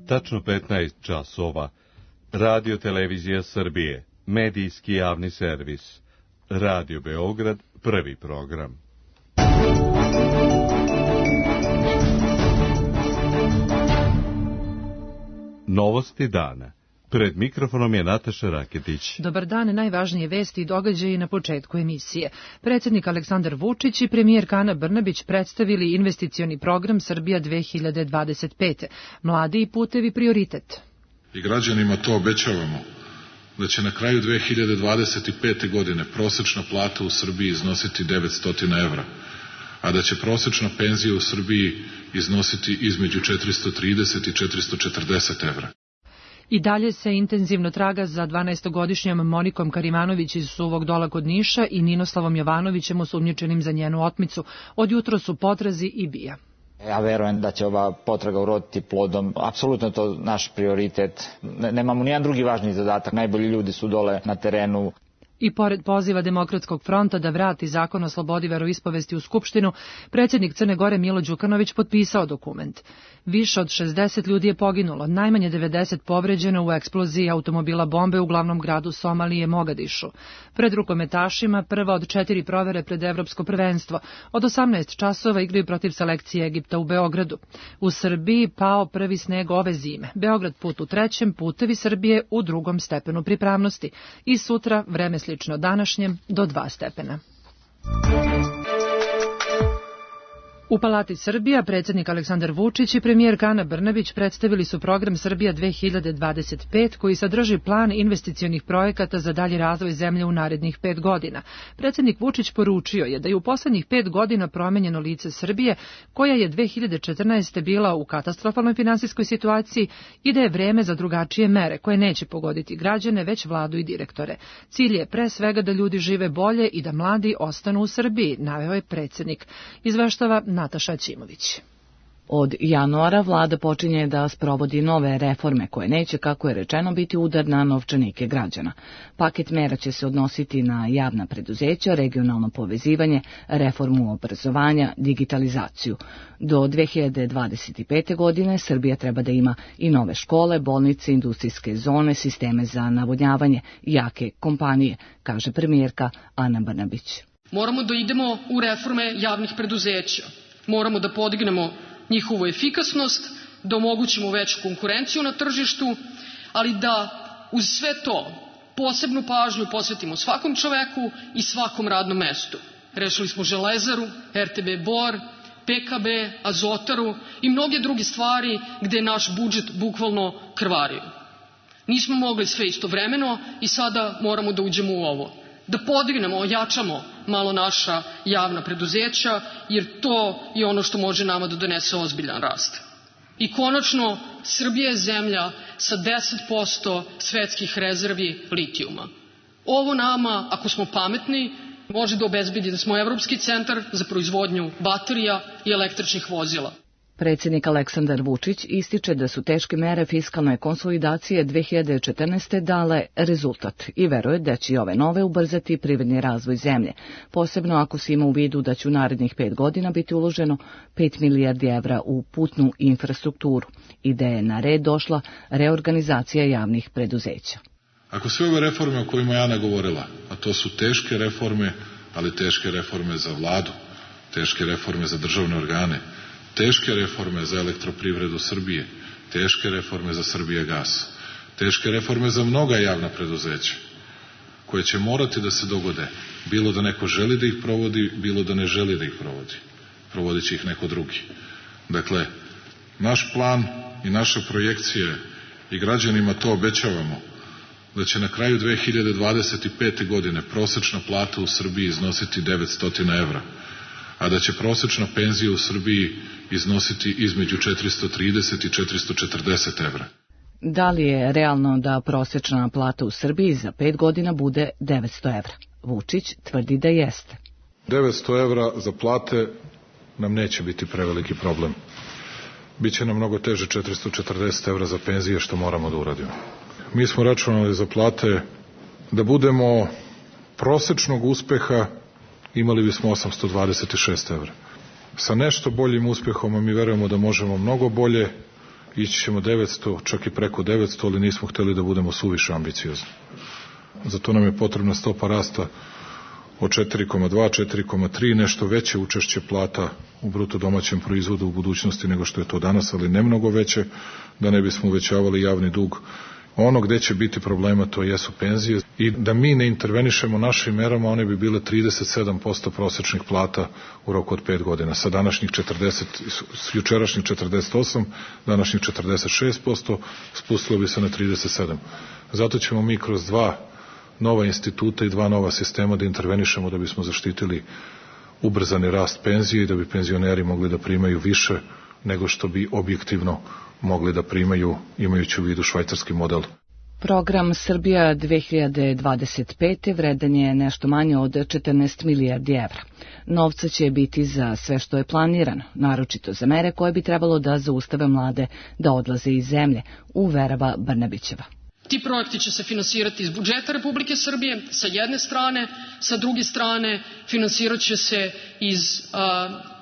Tačno 15 časova. Radio Televizija Srbije, medijski javni servis. Radio Beograd, prvi program. Novosti dana. Pred mikrofonom je Nataša Raketić. Dobar dan, najvažnije vesti i događaji na početku emisije. Predsjednik Aleksandar Vučić i premijerka Ana Brnabić predstavili investicioni program Srbija 2025. Mladi i putevi prioritet. I građanima to obećavamo, da će na kraju 2025. godine prosečna plata u Srbiji iznositi 900 evra, a da će prosečna penzija u Srbiji iznositi između 430 i 440 evra. I dalje se intenzivno traga za 12-godišnjom Monikom Karimanović iz Suvog Dola kod Niša i Ninoslavom Jovanovićem osumnjičenim za njenu otmicu. Od jutro su potrazi i bija. Ja verujem da će ova potraga uroditi plodom. Apsolutno je to naš prioritet. Nemamo nijedan drugi važni zadatak. Najbolji ljudi su dole na terenu. I pored poziva Demokratskog fronta da vrati zakon o slobodi veroispovesti u Skupštinu, predsjednik Crne Gore Milo Đukanović potpisao dokument. Više od 60 ljudi je poginulo, najmanje 90 povređeno u eksploziji automobila bombe u glavnom gradu Somalije Mogadišu. Pred rukometašima prva od 4 provere pred Evropsko prvenstvo. Od 18 časova igraju protiv selekcije Egipta u Beogradu. U Srbiji pao prvi sneg ove zime. Beograd put u 3., putevi Srbije u 2. stepenu pripravnosti. I sutra vreme slično današnjem do 2 stepena. U Palati Srbija predsjednik Aleksandar Vučić i premijerka Ana Brnabić predstavili su program Srbija 2025 koji sadrži plan investicionih projekata za dalji razvoj zemlje u narednih 5 godina. Predsjednik Vučić poručio je da je u poslednjih 5 godina promenjeno lice Srbije, koja je 2014. bila u katastrofalnoj finansijskoj situaciji i da je vreme za drugačije mere koje neće pogoditi građane, već vladu i direktore. Cilj je pre svega da ljudi žive bolje i da mladi ostanu u Srbiji, naveo je predsjednik. Izveštava Nataša Ćimović. Od januara vlada počinje da sprovodi nove reforme koje neće, kako je rečeno, biti udar na novčanike građana. Paket mera će se odnositi na javna preduzeća, regionalno povezivanje, reformu obrazovanja, digitalizaciju. Do 2025. godine Srbija treba da ima i nove škole, bolnice, industrijske zone, sisteme za navodnjavanje, jake kompanije, kaže premijerka Ana Brnabić. Moramo da idemo u reforme javnih preduzeća. Moramo da podignemo njihovu efikasnost, da omogućimo veću konkurenciju na tržištu, ali da uz sve to posebnu pažnju posvetimo svakom čoveku i svakom radnom mestu. Rešili smo Železaru, RTB Bor, PKB, Azotaru i mnoge druge stvari gde je naš budžet bukvalno krvario. Nismo mogli sve istovremeno i sada moramo da uđemo u ovo. Da podignemo, ojačamo malo naša javna preduzeća, jer to je ono što može nama da donese ozbiljan rast. I konačno, Srbija je zemlja sa 10% svetskih rezervi litijuma. Ovo nama, ako smo pametni, može da obezbedi da smo evropski centar za proizvodnju baterija i električnih vozila. Predsjednik Aleksandar Vučić ističe da su teške mere fiskalne konsolidacije 2014. dale rezultat i veruje da će ove nove ubrzati privredni razvoj zemlje, posebno ako se ima u vidu da će u narednih 5 godina biti uloženo 5 milijardi evra u putnu infrastrukturu i da je na red došla reorganizacija javnih preduzeća. Ako sve ove reforme o kojima je Ana govorila, a to su teške reforme, ali teške reforme za vladu, teške reforme za državne organe, teške reforme za elektroprivredu Srbije, teške reforme za Srbijagas, teške reforme za mnoga javna preduzeća, koje će morati da se dogode, bilo da neko želi da ih provodi, bilo da ne želi da ih provodi. Provodit će ih neko drugi. Dakle, naš plan i naše projekcije i građanima to obećavamo, da će na kraju 2025. godine prosečna plata u Srbiji iznositi 900 evra, a da će prosečna penzija u Srbiji iznositi između 430 i 440 evra. Da li je realno da prosečna plata u Srbiji za 5 godina bude 900 evra? Vučić tvrdi da jeste. 900 evra za plate nam neće biti preveliki problem. Biće nam mnogo teže 440 evra za penzije, što moramo da uradimo. Mi smo računali za plate da budemo prosečnog uspeha, imali bismo 826 evra. Sa nešto boljim uspehom, a mi verujemo da možemo mnogo bolje, ići ćemo 900, čak i preko 900, ali nismo hteli da budemo suviše ambiciozni. Zato nam je potrebna stopa rasta od 4,2, 4,3, nešto veće učešće plata u bruto domaćem proizvodu u budućnosti nego što je to danas, ali ne mnogo veće, da ne bismo uvećavali javni dug. Ono gde će biti problema, to jesu penzije, i da mi ne intervenišemo našim merama, one bi bile 37% prosečnih plata u roku od 5 godina. Sa današnjih 40, s jučerašnjih 48, današnjih 46%, spustilo bi se na 37. Zato ćemo mi kroz 2 nova instituta i 2 nova sistema da intervenišemo da bismo zaštitili ubrzani rast penzije i da bi penzioneri mogli da primaju više nego što bi objektivno mogli da primaju, imajući u vidu švajcarski model. Program Srbija 2025. vredan je nešto manje od 14 milijardi evra. Novca će biti za sve što je planirano, naročito za mere koje bi trebalo da zaustave mlade da odlaze iz zemlje, uverava Brnabićeva. Ti projekti će se finansirati iz budžeta Republike Srbije sa jedne strane, sa druge strane finansirat će se iz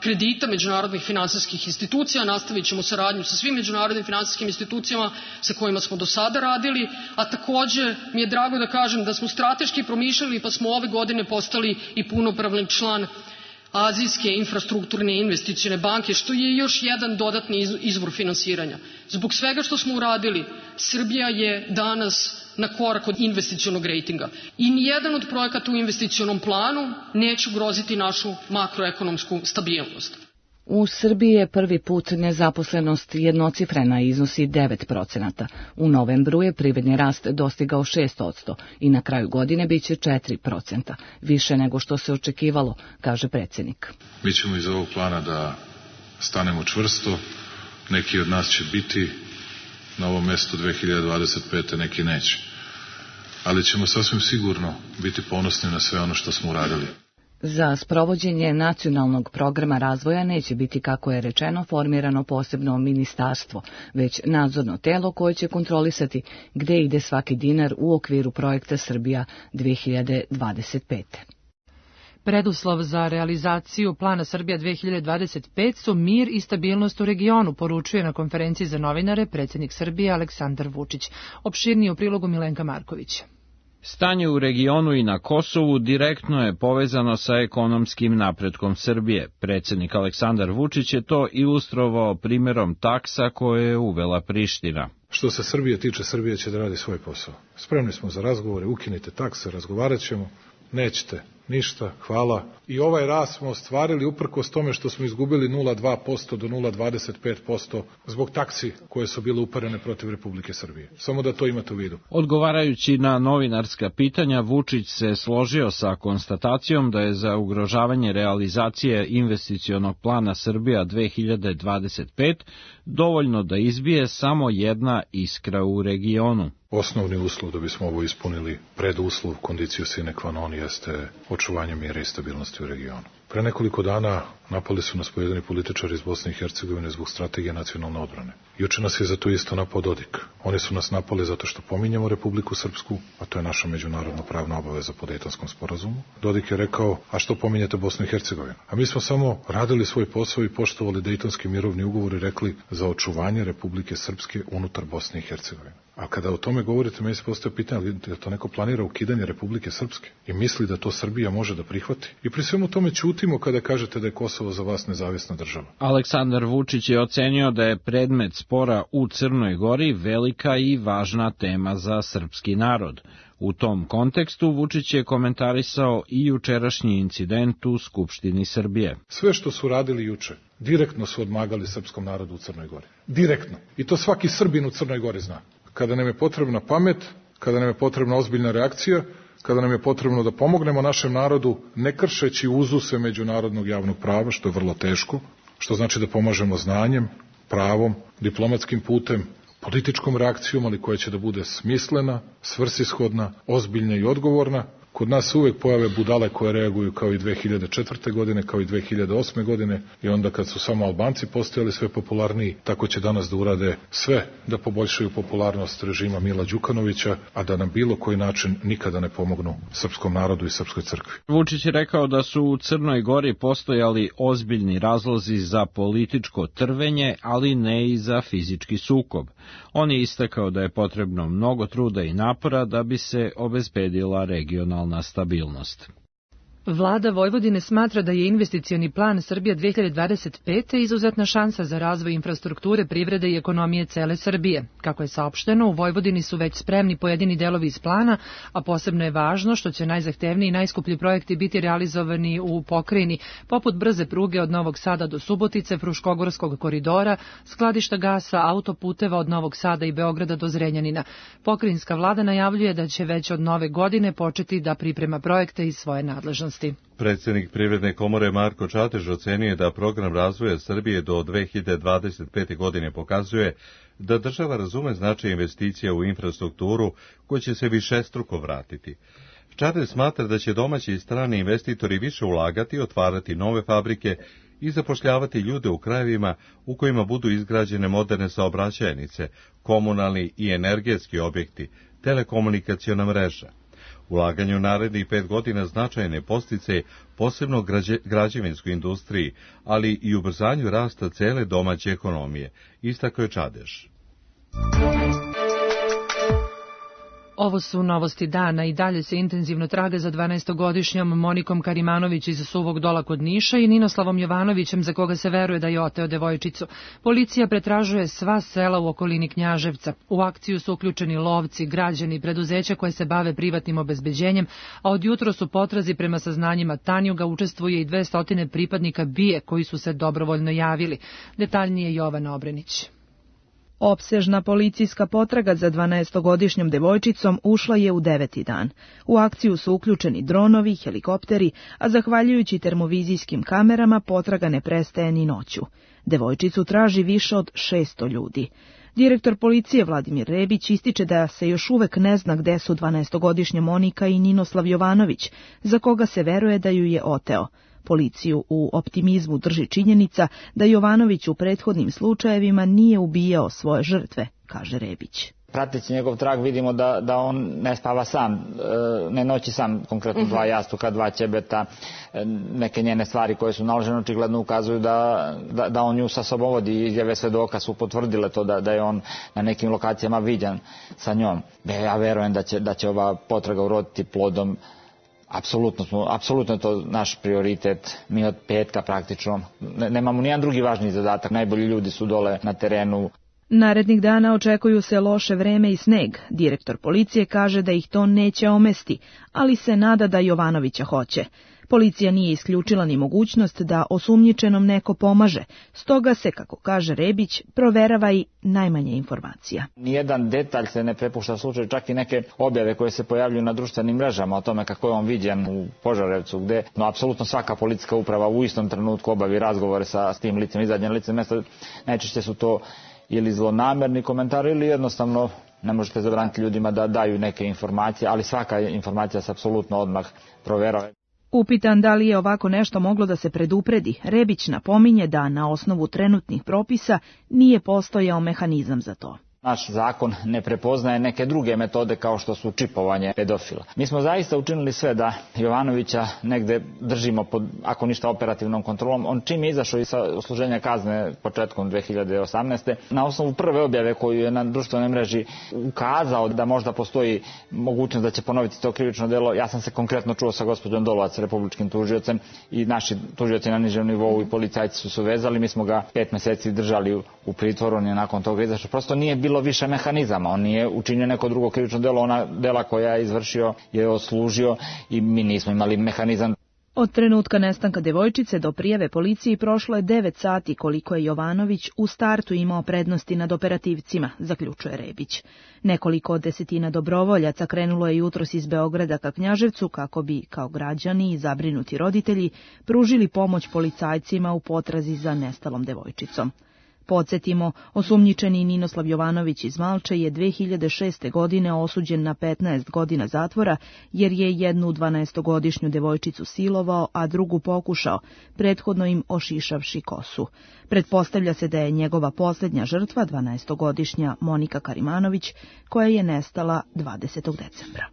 kredita međunarodnih finansijskih institucija. Nastavit ćemo saradnju sa svim međunarodnim finansijskim institucijama sa kojima smo do sada radili, a takođe mi je drago da kažem da smo strateški promišljali pa smo ove godine postali i punopravni član Azijske infrastrukturne investicione banke, što je još jedan dodatni izvor finansiranja. Zbog svega što smo uradili, Srbija je danas na korak od investicionog rejtinga. I nijedan od projekata u investicionom planu neće ugroziti našu makroekonomsku stabilnost. U Srbiji je prvi put nezaposlenost jednocifrena i iznosi 9%. U novembru je privredni rast dostigao 6% i na kraju godine biće 4%, više nego što se očekivalo, kaže predsjednik. Mi ćemo iz ovog plana da stanemo čvrsto, neki od nas će biti na ovom mestu 2025. neki neće. Ali ćemo sasvim sigurno biti ponosni na sve ono što smo uradili. Za sprovođenje nacionalnog programa razvoja neće biti, kako je rečeno, formirano posebno ministarstvo, već nadzorno telo koje će kontrolisati gde ide svaki dinar u okviru projekta Srbija 2025. Preduslov za realizaciju plana Srbija 2025 su mir i stabilnost u regionu, poručuje na konferenciji za novinare predsjednik Srbije Aleksandar Vučić. Opširnije u prilogu Milenka Marković. Stanje u regionu i na Kosovu direktno je povezano sa ekonomskim napretkom Srbije. Predsjednik Aleksandar Vučić je to ilustrovao primjerom taksa koje je uvela Priština. Što se Srbije tiče, Srbija će da radi svoj posao. Spremni smo za razgovore, ukinite takse, razgovarat ćemo. Nećete ništa, hvala. I ovaj rast smo ostvarili uprkos tome što smo izgubili 0,2% do 0,25% zbog taksi koje su bile uperene protiv Republike Srbije. Samo da to imate u vidu. Odgovarajući na novinarska pitanja, Vučić se složio sa konstatacijom da je za ugrožavanje realizacije investicionog plana Srbija 2025 dovoljno da izbije samo jedna iskra u regionu. Osnovni uslov da bismo ovo ispunili, preduslov, kondiciju sine qua non, jeste očuvanje mira i stabilnosti u regionu. Pre nekoliko dana napali su nas pojedini političari iz Bosne i Hercegovine zbog strategije nacionalne odbrane. Juče nas je za to isto napao Dodik. Oni su nas napali zato što pominjemo Republiku Srpsku, a to je naša međunarodno pravna obaveza po Dejtonskom sporazumu. Dodik je rekao, a što pominjete Bosnu i Hercegovinu? A mi smo samo radili svoj posao i poštovali Dejtonski mirovni ugovor i rekli za očuvanje Republike Srpske unutar Bosne i Hercegovine. A kada o tome govorite, meni se postoje pitanje da to neko planira ukidanje Republike Srpske i misli da to Srbija može da prihvati. I pri svemu tome ćutimo kada kažete da je Kosovo za vas nezavisna država. Aleksandar Vučić je ocenio da je predmet spora u Crnoj Gori velika i važna tema za srpski narod. U tom kontekstu Vučić je komentarisao i jučerašnji incident u Skupštini Srbije. Sve što su radili juče, direktno su odmagali srpskom narodu u Crnoj Gori. Direktno. I to svaki Srbin u Crnoj Gori zna. Kada nam je potrebna pamet, kada nam je potrebna ozbiljna reakcija, kada nam je potrebno da pomognemo našem narodu, ne kršeći uzuse međunarodnog javnog prava, što je vrlo teško, što znači da pomažemo znanjem, pravom, diplomatskim putem, političkom reakcijom, ali koja će da bude smislena, svrsishodna, ozbiljna i odgovorna, Kod nas se uvek pojave budale koje reaguju kao i 2004. godine, kao i 2008. godine i onda kad su samo Albanci postojali sve popularniji, tako će danas da urade sve da poboljšaju popularnost režima Mila Đukanovića, a da na bilo koji način nikada ne pomognu srpskom narodu i srpskoj crkvi. Vučić je rekao da su u Crnoj Gori postojali ozbiljni razlozi za političko trvenje, ali ne i za fizički sukob. On je istakao da je potrebno mnogo truda i napora da bi se obezbedila regionalna stabilnost. Vlada Vojvodine smatra da je investicioni plan Srbija 2025. izuzetna šansa za razvoj infrastrukture, privrede i ekonomije cele Srbije. Kako je saopšteno, u Vojvodini su već spremni pojedini delovi iz plana, a posebno je važno što će najzahtevniji i najskuplji projekti biti realizovani u pokrajini, poput brze pruge od Novog Sada do Subotice, Fruškogorskog koridora, skladišta gasa, autoputeva od Novog Sada i Beograda do Zrenjanina. Pokrajinska vlada najavljuje da će već od nove godine početi da priprema projekte iz svoje nadležnosti. Predsjednik Privredne komore Marko Čatež ocenio da program razvoja Srbije do 2025. godine pokazuje da država razume značaj investicija u infrastrukturu koja će se višestruko vratiti. Čatež smatra da će domaći i strani investitori više ulagati, otvarati nove fabrike i zapošljavati ljude u krajevima u kojima budu izgrađene moderne saobraćajnice, komunalni i energetski objekti, telekomunikaciona mreža. Ulaganje u narednih 5 godina značajne podsticaje posebno građevinskoj industriji, ali i ubrzanju rasta cele domaće ekonomije, istakao je Čadež. Ovo su novosti dana i dalje se intenzivno traga za 12-godišnjom Monikom Karimanović iz Suvog Dola kod Niša i Ninoslavom Jovanovićem za koga se veruje da je oteo devojčicu. Policija pretražuje sva sela u okolini Knjaževca. U akciju su uključeni lovci, građani i preduzeća koje se bave privatnim obezbeđenjem, a od jutro su potrazi prema saznanjima Tanjuga učestvuje i 200 pripadnika BIA koji su se dobrovoljno javili. Detaljnije Jovana Obrenić. Opsežna policijska potraga za 12-godišnjom devojčicom ušla je u 9. dan. U akciju su uključeni dronovi, helikopteri, a zahvaljujući termovizijskim kamerama potraga ne prestaje ni noću. Devojčicu traži više od 600 ljudi. Direktor policije Vladimir Rebić ističe da se još uvek ne zna gde su 12-godišnja Monika i Ninoslav Jovanović, za koga se veruje da ju je oteo. Policiju u optimizmu drži činjenica da Jovanović u prethodnim slučajevima nije ubijao svoje žrtve, kaže Rebić. Prateći njegov trag vidimo da on ne spava sam, ne noći sam, konkretno 2 jastuka, 2 ćebeta, neke njene stvari koje su naložene očigledno ukazuju da on nju sa sobom vodi i izjave svedoka su potvrdile to da je on na nekim lokacijama viđan sa njom. Ja verujem da će ova potraga uroditi plodom. Apsolutno je to naš prioritet, mi od petka praktično, nemamo nijedan drugi važniji zadatak, najbolji ljudi su dole na terenu. Narednih dana očekuju se loše vreme i sneg. Direktor policije kaže da ih to neće omesti, ali se nada da Jovanovića hoće. Policija nije isključila ni mogućnost da osumnjičenom neko pomaže, stoga se, kako kaže Rebić, proverava i najmanje informacija. Nijedan detalj se ne prepušta slučaju, čak i neke objave koje se pojavljuju na društvenim mrežama o tome kako je on viđen u Požarevcu, gde apsolutno svaka policijska uprava u istom trenutku obavi razgovore sa tim licem, izađe na lice mesta. Najčešće su to ili zlonamerni komentari ili jednostavno ne možete zabraniti ljudima da daju neke informacije, ali svaka informacija se apsolutno odmah proverava. Upitan da li je ovako nešto moglo da se predupredi, Rebić napominje da na osnovu trenutnih propisa nije postojao mehanizam za to. Naš zakon ne prepoznaje neke druge metode kao što su čipovanje pedofila. Mi smo zaista učinili sve da Jovanovića negde držimo pod, ako ništa, operativnom kontrolom. On čim je izašao iz odsluženja kazne početkom 2018. na osnovu prve objave koju je na društvenoj mreži ukazao da možda postoji mogućnost da će ponoviti to krivično delo. Ja sam se konkretno čuo sa gospođom Dolovac, republičkim tužiocem, i naši tužioci na nižem nivou i policajci su vezali. Mi smo ga 5 meseci držali u pritvoru, on je nakon toga izašao. Prosto nije bilo više mehanizama, on nije učinio neko drugo krivično delo, ona dela koja je izvršio je odslužio i mi nismo imali mehanizam. Od trenutka nestanka devojčice do prijave policiji prošlo je 9 sati koliko je Jovanović u startu imao prednosti nad operativcima, zaključuje Rebić. Nekoliko desetina dobrovoljaca krenulo je jutros iz Beograda ka Knjaževcu kako bi, kao građani i zabrinuti roditelji, pružili pomoć policajcima u potrazi za nestalom devojčicom. Podsjetimo, osumnjičeni Ninoslav Jovanović iz Malče je 2006. godine osuđen na 15 godina zatvora jer je jednu 12-godišnju devojčicu silovao, a drugu pokušao, prethodno im ošišavši kosu. Pretpostavlja se da je njegova posljednja žrtva 12-godišnja Monika Karimanović, koja je nestala 20. decembra.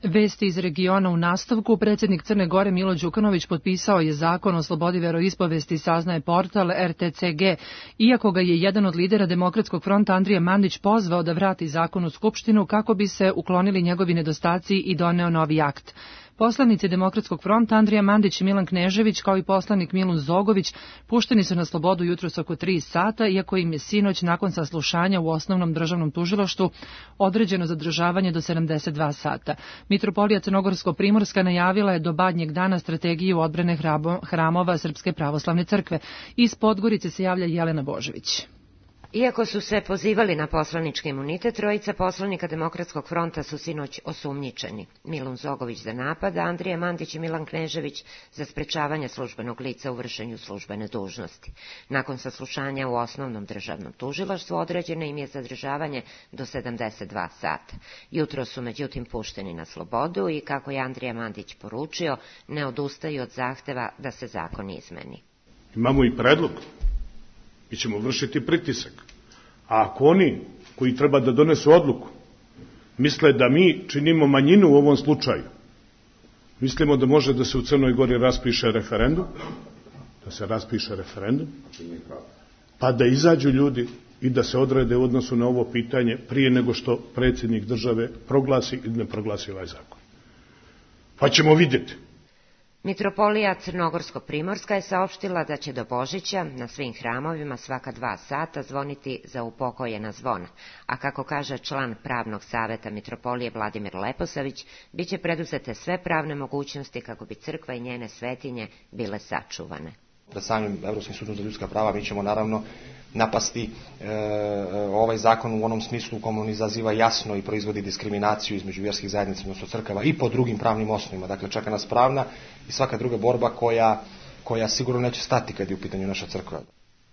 Vesti iz regiona u nastavku. Predsjednik Crne Gore Milo Đukanović potpisao je zakon o slobodi veroispovesti, saznaje portal RTCG, iako ga je jedan od lidera Demokratskog fronta Andrija Mandić pozvao da vrati zakon u Skupštinu kako bi se uklonili njegovi nedostaci i doneo novi akt. Poslanici Demokratskog fronta Andrija Mandić i Milan Knežević, kao i poslanik Milun Zogović, pušteni su na slobodu jutros oko 3 sata, iako im je sinoć nakon saslušanja u Osnovnom državnom tužilaštvu određeno zadržavanje do 72 sata. Mitropolija Crnogorsko-Primorska najavila je do badnjeg dana strategiju odbrane hramova Srpske pravoslavne crkve. Iz Podgorice se javlja Jelena Božević. Iako su se pozivali na poslanički imunitet, trojica poslanika Demokratskog fronta su sinoć osumnjičeni. Milun Zogović za napad, Andrija Mandić i Milan Knežević za sprečavanje službenog lica u vršenju službene dužnosti. Nakon saslušanja u Osnovnom državnom tužilaštvu određeno im je zadržavanje do 72 sata. Jutro su međutim pušteni na slobodu i, kako je Andrija Mandić poručio, ne odustaju od zahteva da se zakon izmeni. Imamo i predlog. Mi ćemo vršiti pritisak. A ako oni koji treba da donesu odluku misle da mi činimo manjinu u ovom slučaju, mislimo da može da se u Crnoj Gori raspiše referendum, pa da izađu ljudi i da se odrede u odnosu na ovo pitanje prije nego što predsjednik države proglasi ili ne proglasi ovaj zakon. Pa ćemo vidjeti. Mitropolija Crnogorsko-Primorska je saopštila da će do Božića na svim hramovima svaka 2 sata zvoniti za upokojena zvona, a kako kaže član pravnog saveta Mitropolije Vladimir Leposavić, bit će preduzete sve pravne mogućnosti kako bi crkva i njene svetinje bile sačuvane. Pred samim Evropskim sudom za ljudska prava mi ćemo naravno napasti ovaj zakon u onom smislu u kojem on izaziva jasno i proizvodi diskriminaciju između vjerskih zajednica, odnosno crkava, i po drugim pravnim osnovima. Dakle, čeka nas pravna i svaka druga borba koja sigurno neće stati kad je u pitanju naša crkva.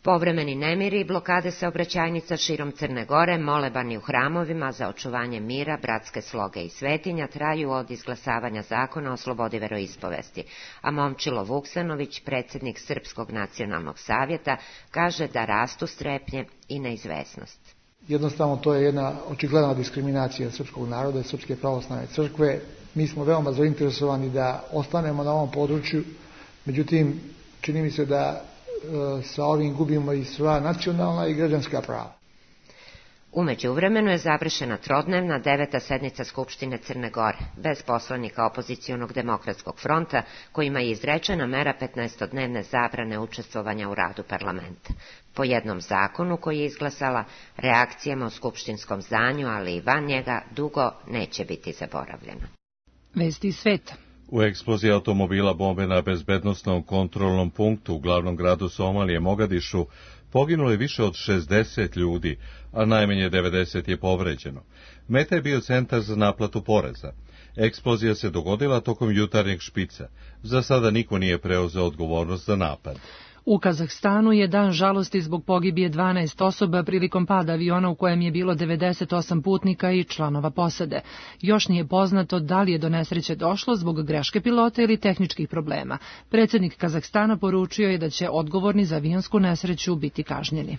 Povremeni nemiri i blokade saobraćajnica širom Crne Gore, molebani u hramovima za očuvanje mira, bratske sloge i svetinja traju od izglasavanja zakona o slobodi veroispovesti, a Momčilo Vuksanović, predsjednik Srpskog nacionalnog savjeta, kaže da rastu strepnje i neizvesnost. Jednostavno to je jedna očigledna diskriminacija srpskog naroda i Srpske pravoslavne crkve. Mi smo veoma zainteresovani da ostanemo na ovom području, međutim čini mi se da sa ovim gubimo i sva nacionalna i građanska prava. U međuvremenu je završena trodnevna 9. sednica Skupštine Crne Gore, bez poslanika opozicionog Demokratskog fronta, kojima je izrečena mera 15-dnevne zabrane učestvovanja u radu parlamenta. Po jednom zakonu koji je izglasala, reakcijama u skupštinskom zdanju, ali i van njega, dugo neće biti zaboravljeno. Vesti iz sveta. U eksploziji automobila bombe na bezbednosnom kontrolnom punktu u glavnom gradu Somalije, Mogadišu, poginulo je više od 60 ljudi, a najmanje 90 je povređeno. Meta je bio centar za naplatu poreza. Eksplozija se dogodila tokom jutarnjeg špica. Za sada niko nije preuzeo odgovornost za napad. U Kazahstanu je dan žalosti zbog pogibije 12 osoba prilikom pada aviona u kojem je bilo 98 putnika i članova posade. Još nije poznato da li je do nesreće došlo zbog greške pilota ili tehničkih problema. Predsjednik Kazahstana poručio je da će odgovorni za avionsku nesreću biti kažnjeni.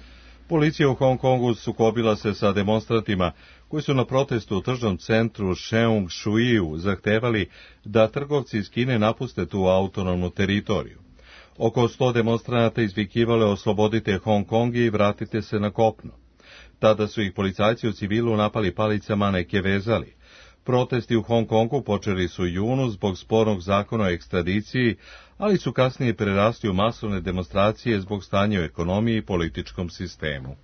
Policija u Hong Kongu sukobila se sa demonstrantima koji su na protestu u tržnom centru Sheung Shui zahtevali da trgovci iz Kine napuste tu autonomnu teritoriju. Oko 100 demonstranata izvikivale oslobodite Hong Kong i vratite se na kopno. Tada su ih policajci u civilu napali palicama, neke vezali. Protesti u Hong Kongu počeli su u junu zbog spornog zakona o ekstradiciji, ali su kasnije prerasli u masovne demonstracije zbog stanja u ekonomiji i političkom sistemu.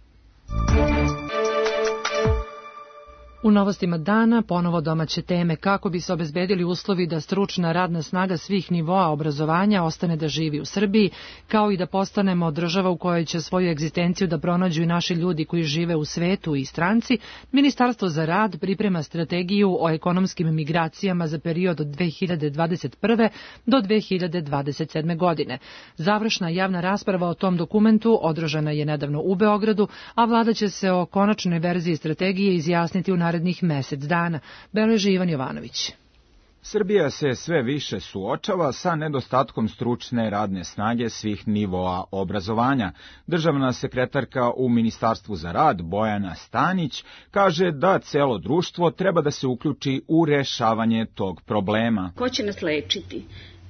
U novostima dana ponovo domaće teme kako bi se obezbedili uslovi da stručna radna snaga svih nivoa obrazovanja ostane da živi u Srbiji, kao i da postanemo država u kojoj će svoju egzistenciju da pronađu i naši ljudi koji žive u svetu i stranci. Ministarstvo za rad priprema strategiju o ekonomskim migracijama za period od 2021. do 2027. godine. Završna javna rasprava o tom dokumentu održana je nedavno u Beogradu, a vlada će se o konačnoj verziji strategije izjasniti u narednih mesec dana, beleži Ivan Jovanović. Srbija se sve više suočava sa nedostatkom stručne radne snage svih nivoa obrazovanja. Državna sekretarka u Ministarstvu za rad, Bojana Stanić, kaže da celo društvo treba da se uključi u rešavanje tog problema. Ko će nas lečiti?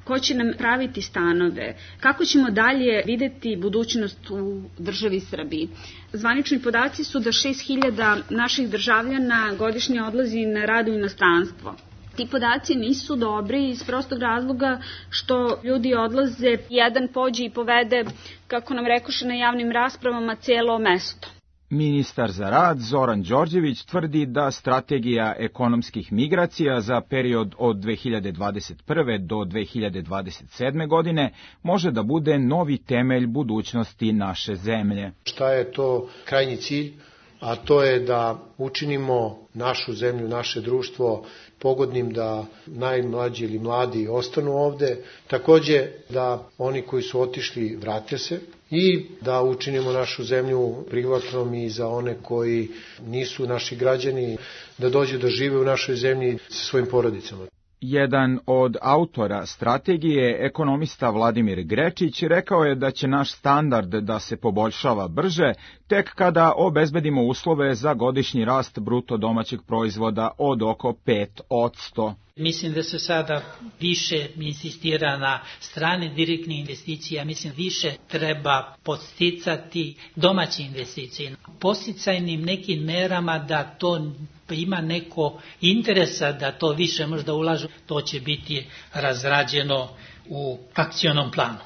Ko će nam praviti stanove? Kako ćemo dalje videti budućnost u državi Srbiji? Zvanični podaci su da 6.000 naših državljana godišnje odlazi na rad u inostranstvo. Ti podaci nisu dobri iz prostog razloga što ljudi odlaze, jedan pođe i povede, kako nam rekoše na javnim raspravama, cijelo mesto. Ministar za rad Zoran Đorđević tvrdi da strategija ekonomskih migracija za period od 2021. do 2027. godine može da bude novi temelj budućnosti naše zemlje. Šta je to krajnji cilj? A to je da učinimo našu zemlju, naše društvo pogodnim da najmlađi ili mladi ostanu ovde, takođe da oni koji su otišli vrate se i da učinimo našu zemlju prihvatnom i za one koji nisu naši građani, da dođu da žive u našoj zemlji sa svojim porodicama. Jedan od autora strategije, ekonomista Vladimir Grečić, rekao je da će naš standard da se poboljšava brže tek kada obezbedimo uslove za godišnji rast bruto domaćeg proizvoda od oko 5%. Mislim da se sada više insistira na strane direktne investicije, mislim više treba podsticati domaće investicije. Podsticajnim nekim merama da to ima neko interesa da to više možda ulažu, to će biti razrađeno u akcionom planu.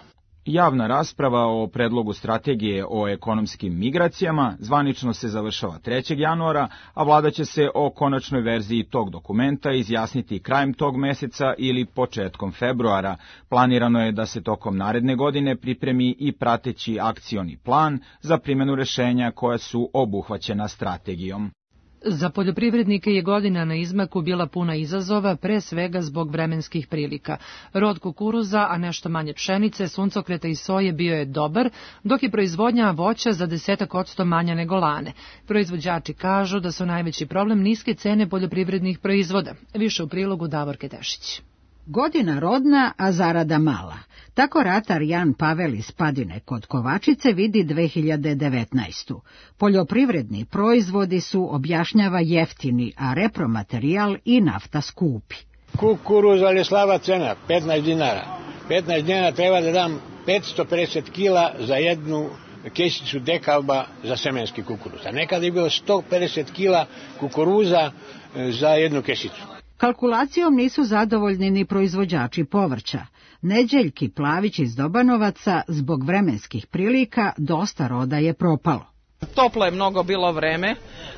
Javna rasprava o predlogu strategije o ekonomskim migracijama zvanično se završava 3. januara, a vlada će se o konačnoj verziji tog dokumenta izjasniti krajem tog meseca ili početkom februara. Planirano je da se tokom naredne godine pripremi i prateći akcioni plan za primjenu rešenja koja su obuhvaćena strategijom. Za poljoprivrednike je godina na izmaku bila puna izazova, pre svega zbog vremenskih prilika. Rod kukuruza, a nešto manje pšenice, suncokreta i soje bio je dobar, dok je proizvodnja voća za 10% manja nego lane. Proizvođači kažu da su najveći problem niske cene poljoprivrednih proizvoda. Više u prilogu Davorke Tešić. Godina rodna, a zarada mala. Tako ratar Jan Pavel iz Padine kod Kovačice vidi 2019. Poljoprivredni proizvodi su, objašnjava, jeftini, a repromaterijal i nafta skupi. Kukuruz, ali slaba cena, 15 dinara. 15 dinara treba da dam 550 kila za jednu kesicu dekalba za semenski kukuruz. A nekada je bilo 150 kila kukuruza za jednu kesicu. Kalkulacijom nisu zadovoljni ni proizvođači povrća. Neđeljki Plavić iz Dobanovaca zbog vremenskih prilika dosta roda je propalo. Toplo je mnogo bilo vreme,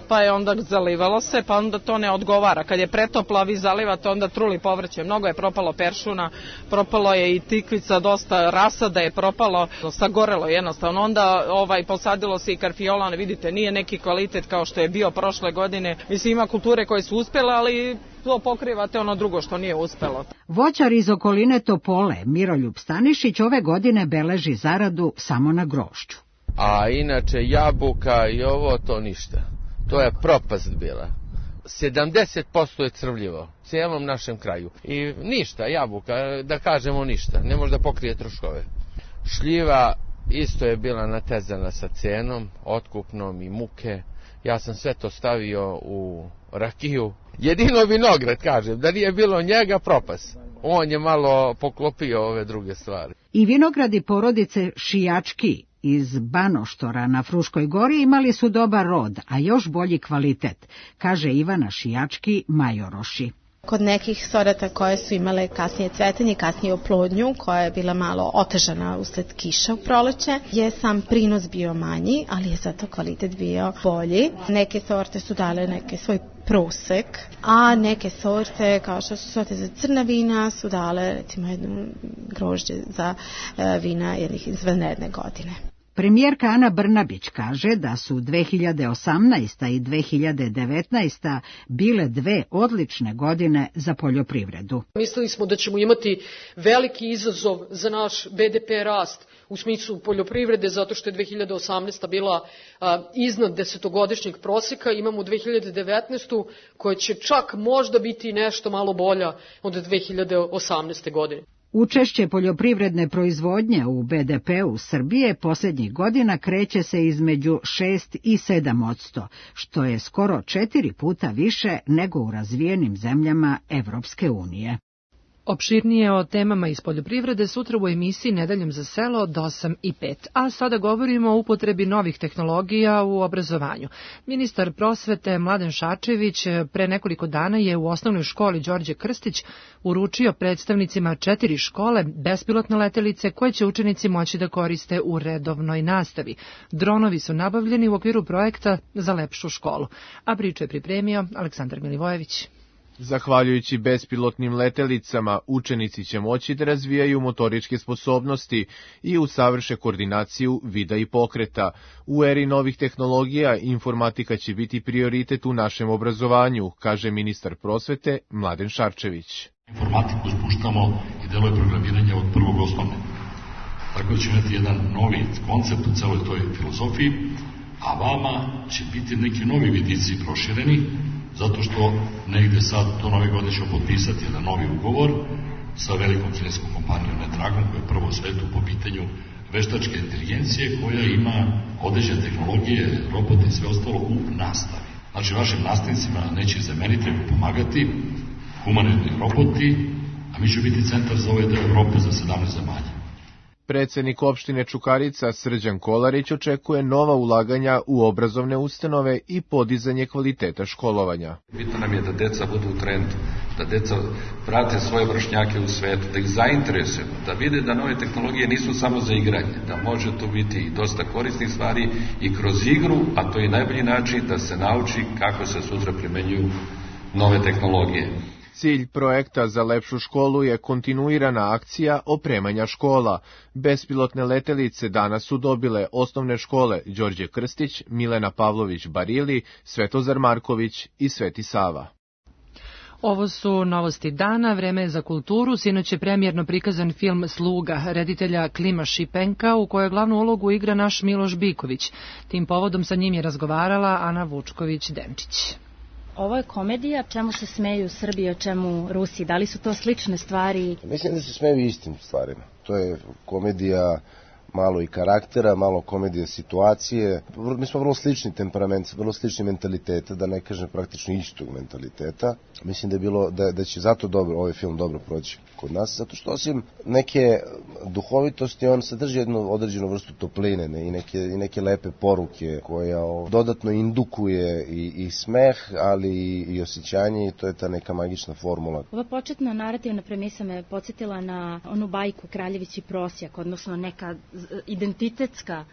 pa je onda zalivalo se, pa onda to ne odgovara. Kad je pretoplo, vi zalivate, onda truli povrće. Mnogo je propalo peršuna, propalo je i tikvica, dosta rasada je propalo, sagorelo jednostavno. Onda posadilo se i karfiola, vidite, nije neki kvalitet kao što je bio prošle godine. Mislim, ima kulture koje su uspjele, ali to pokrivate ono drugo što nije uspelo. Voćar iz okoline Topole, Miroljub Stanišić, ove godine beleži zaradu samo na grožđu. A inače jabuka i ovo to ništa. To je propast bila. 70% je crvljivo u cijelom našem kraju. I ništa, jabuka, da kažemo ništa. Ne može da pokrije troškove. Šljiva isto je bila natezana sa cenom, otkupnom i muke. Ja sam sve to stavio u rakiju. Jedino vinograd, kažem, da nije bilo njega, propast. On je malo poklopio ove druge stvari. I vinogradi porodice Šijački iz Banoštora na Fruškoj gori imali su dobar rod, a još bolji kvalitet, kaže Ivana Šijački Majoroši. Kod nekih sorata koje su imale kasnije cvetanje, kasnije oplodnju, koja je bila malo otežana usled kiša u proleće, je sam prinos bio manji, ali je zato kvalitet bio bolji. Neke sorte su dale neke svoj prosek, a neke sorte, kao što su sorte za crna vina, su dale recimo jedno grožđe za vina jednih izvanredne godine. Premijerka Ana Brnabić kaže da su 2018. i 2019. bile dve odlične godine za poljoprivredu. Mislili smo da ćemo imati veliki izazov za naš BDP rast u smislu poljoprivrede, zato što je 2018. bila iznad 10-godišnjeg proseka. Imamo 2019. koja će čak možda biti nešto malo bolja od 2018. godine. Učešće poljoprivredne proizvodnje u BDP-u Srbije posljednjih godina kreće se između 6 i 7%, što je skoro 4 puta više nego u razvijenim zemljama Evropske unije. Opširnije o temama iz poljoprivrede sutra u emisiji Nedeljom za selo od 8:05. A sada govorimo o upotrebi novih tehnologija u obrazovanju. Ministar prosvete Mladen Šarčević pre nekoliko dana je u osnovnoj školi Đorđe Krstić uručio predstavnicima 4 škole bespilotne letelice koje će učenici moći da koriste u redovnoj nastavi. Dronovi su nabavljeni u okviru projekta za lepšu školu. A priču je pripremio Aleksandar Milivojević. Zahvaljujući bespilotnim letelicama, učenici će moći da razvijaju motoričke sposobnosti i usavrše koordinaciju vida i pokreta. U eri novih tehnologija informatika će biti prioritet u našem obrazovanju, kaže ministar prosvete Mladen Šarčević. Informatiku spuštamo i delove programiranja od prvog osnovne. Tako da će imati jedan novi koncept u celoj toj filozofiji, a vama će biti neki novi vidici prošireni, zato što negde sad do nove godine ćemo potpisati jedan novi ugovor sa velikom kineskom kompanijom Netragom, koja je prvo u svetu po pitanju veštačke inteligencije, koja ima određene tehnologije, robote i sve ostalo u nastavi. Znači, vašim nastavnicima neće zameniti, pomagati humanoidni roboti, a mi ćemo biti centar za ove deo Evrope za 17 zemalja. Predsednik opštine Čukarica Srđan Kolarić očekuje nova ulaganja u obrazovne ustanove i podizanje kvaliteta školovanja. Bitno nam je da deca budu u trendu, da deca prate svoje vršnjake u svetu, da ih zainteresujemo, da vide da nove tehnologije nisu samo za igranje, da može tu biti i dosta korisnih stvari i kroz igru, a to je najbolji način da se nauči kako se sutra primenjuju nove tehnologije. Cilj projekta za lepšu školu je kontinuirana akcija opremanja škola. Bespilotne letelice danas su dobile osnovne škole Đorđe Krstić, Milena Pavlović Barili, Svetozar Marković i Sveti Sava. Ovo su novosti dana, vreme je za kulturu. Sinoć je premijerno prikazan film Sluga, reditelja Klima Šipenka, u kojoj glavnu ulogu igra naš Miloš Biković. Tim povodom sa njim je razgovarala Ana Vučković-Denčić. Ovo je komedija, čemu se smeju Srbi, o čemu Rusi? Da li su to slične stvari? Mislim da se smeju istim stvarima. To je komedija malo i karaktera, malo komedija situacije. Mi smo vrlo slični temperament, vrlo slični mentaliteta, da ne kažem praktično istog mentaliteta. Mislim da je bilo, da će zato dobro, ovaj film dobro proći kod nas, zato što osim neke duhovitosti, on sadrži jednu određenu vrstu topline i neke lepe poruke koja dodatno indukuje i smeh, ali i osjećanje, i to je ta neka magična formula. Ova početna narativna premisa me podsjetila na onu bajku Kraljević i prosjak, odnosno neka identitetska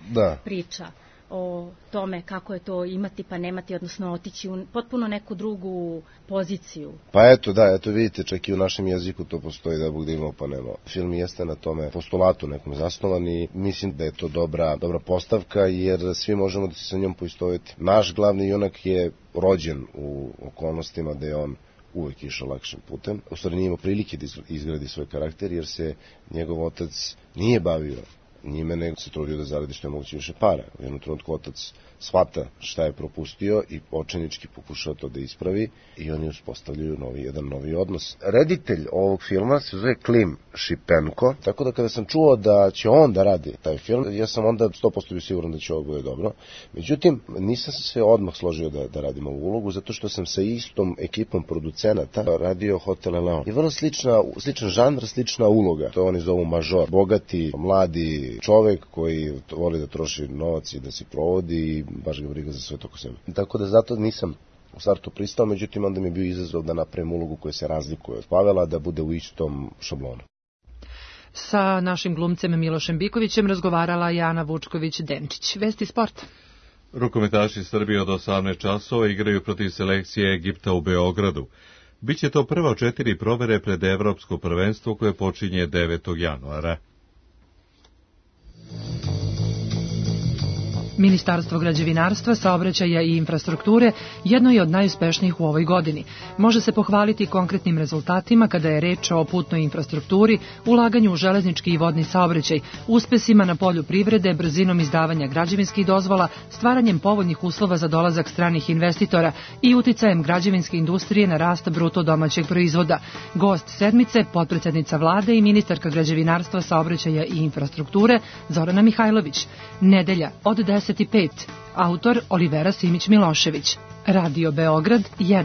priča o tome kako je to imati pa nemati, odnosno otići u potpuno neku drugu poziciju. Pa eto vidite, čak i u našem jeziku to postoji, da Bog da imao pa nemao. Film jeste na tome postulatu nekom zasnovan i mislim da je to dobra postavka, jer svi možemo da se sa njom poistoveti. Naš glavni junak je rođen u okolnostima da je on uvek išao lakšim putem. U stvari nije imao prilike da izgradi svoj karakter, jer se njegov otac nije bavio njime, nego se trudio da zaradi što je moguće više para. U jednom trenutku otac shvata šta je propustio i očajnički pokušao to da ispravi i oni uspostavljaju jedan novi odnos. Reditelj ovog filma se zove Klim Šipenko, tako da kada sam čuo da će on da radi taj film, ja sam onda 100% bio siguran da će ovo bude dobro. Međutim, nisam se odmah složio da radim ovu ulogu, zato što sam sa istom ekipom producenata radio Hotel Eleon. Je vrlo sličan žanr, slična uloga. To oni zovu mažor. Bogati, mladi čovek koji voli da troši novac i da se provodi i baš ga briga za sve toko sebe. Tako da zato nisam u startu pristao, međutim onda mi je bio izazov da napravim ulogu koja se razlikuje od Pavela, da bude u istom šablonu. Sa našim glumcem Milošem Bikovićem razgovarala Ana Vučković-Denčić. Vesti sporta. Rukometaši Srbije od 18 časova igraju protiv selekcije Egipta u Beogradu. Biće to prva od 4 provere pred Evropsko prvenstvo koje počinje 9. januara. Ministarstvo građevinarstva, saobraćaja i infrastrukture jedno je od najuspešnijih u ovoj godini. Može se pohvaliti konkretnim rezultatima kada je reč o putnoj infrastrukturi, ulaganju u železnički i vodni saobraćaj, uspesima na polju privrede, brzinom izdavanja građevinskih dozvola, stvaranjem povoljnih uslova za dolazak stranih investitora i uticajem građevinske industrije na rast bruto domaćeg proizvoda. Gost sedmice, potpredsednica vlade i ministarka građevinarstva, saobraćaja i infrastrukture Zorana Mihajlović. Nedelja od 10:05. Autor Olivera Simić-Milošević. Radio Beograd 1.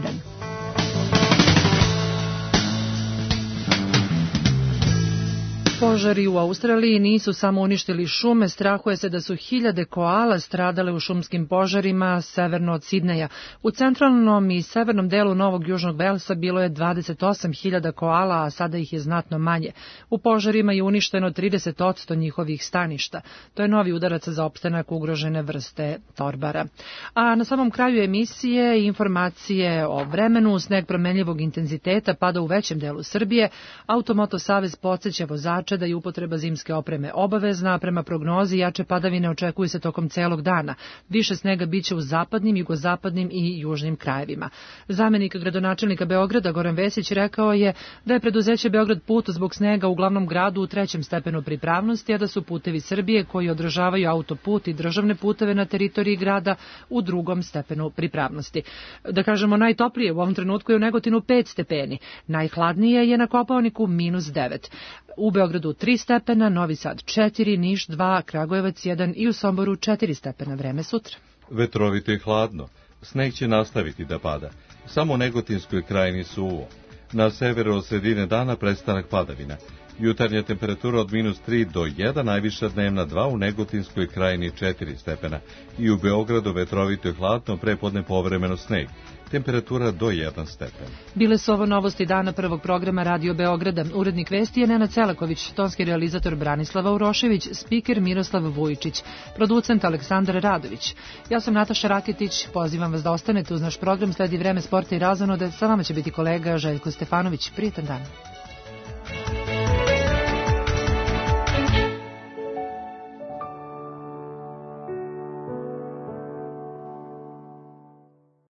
Požari u Australiji nisu samo uništili šume, strahuje se da su hiljade koala stradale u šumskim požarima severno od Sidneja. U centralnom i severnom delu Novog Južnog Velsa bilo je 28.000 koala, a sada ih je znatno manje. U požarima je uništeno 30% njihovih staništa. To je novi udarac za opstanak ugrožene vrste torbara. A na samom kraju emisije informacije o vremenu, sneg promenljivog intenziteta pada u većem delu Srbije. Automoto savez podseća vozača da je upotreba zimske opreme obavezna, a prema prognozi jače padavine očekuju se tokom celog dana. Više snega biće u zapadnim, jugozapadnim i južnim krajevima. Zamenik gradonačelnika Beograda Goran Vesić rekao je da je preduzeće Beograd put zbog snega u glavnom gradu u 3. stepenu pripravnosti, a da su putevi Srbije koji održavaju autoput i državne puteve na teritoriji grada u 2. stepenu pripravnosti. Da kažemo, najtoplije u ovom trenutku je u Negotinu 5 stepeni, najhladnije je na Kopaoniku -9. U Beogradu 3 stepena, Novi Sad 4, Niš 2, Kragujevac 1 i u Somboru 4 stepena. Vreme sutra. Vetrovito i hladno. Sneg će nastaviti da pada. Samo u Negotinskoj krajini suvo. Na severu od sredine dana prestanak padavina. Jutarnja temperatura od -3 do 1, najviša dnevna 2, u Negotinskoj krajini 4 stepena. I u Beogradu vetrovito i hladno, prepodne povremeno sneg. Temperatura do 1 stepen. Bile su ovo novosti dana prvog programa Radio Beograda. Urednik vesti je Nenad Celaković, tonski realizator Branislava Urošević, spiker Miroslav Vujičić, producent Aleksandar Radović. Ja sam Nataša Raketić, pozivam vas da ostanete uz naš program, sledi vreme sporta i razonode, sa vama će biti kolega Željko Stefanović. Prijetan dan.